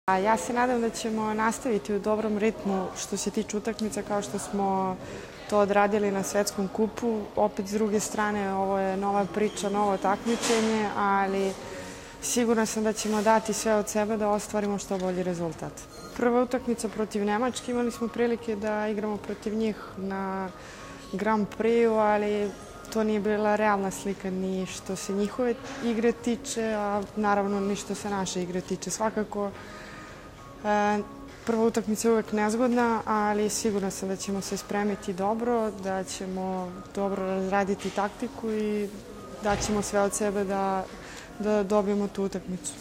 Ja se nadam da ćemo nastaviti u dobrom ritmu što se tiče utakmica kao što smo to odradili na Svetskom kupu. Opet, s druge strane, ovo je nova priča, novo takmičenje, ali sigurna sam da ćemo dati sve od sebe da ostvarimo što bolji rezultat. Prva utakmica protiv Nemačke, imali smo prilike da igramo protiv njih na Grand Prix-u, ali to nije bila realna slika ni što se njihove igre tiče, a naravno ni što se naše igre tiče. Svakako, prva utakmica je uvek nezgodna, ali sigurna sam da ćemo se spremiti dobro, da ćemo dobro razraditi taktiku i da ćemo sve od sebe da dobijemo tu utakmicu.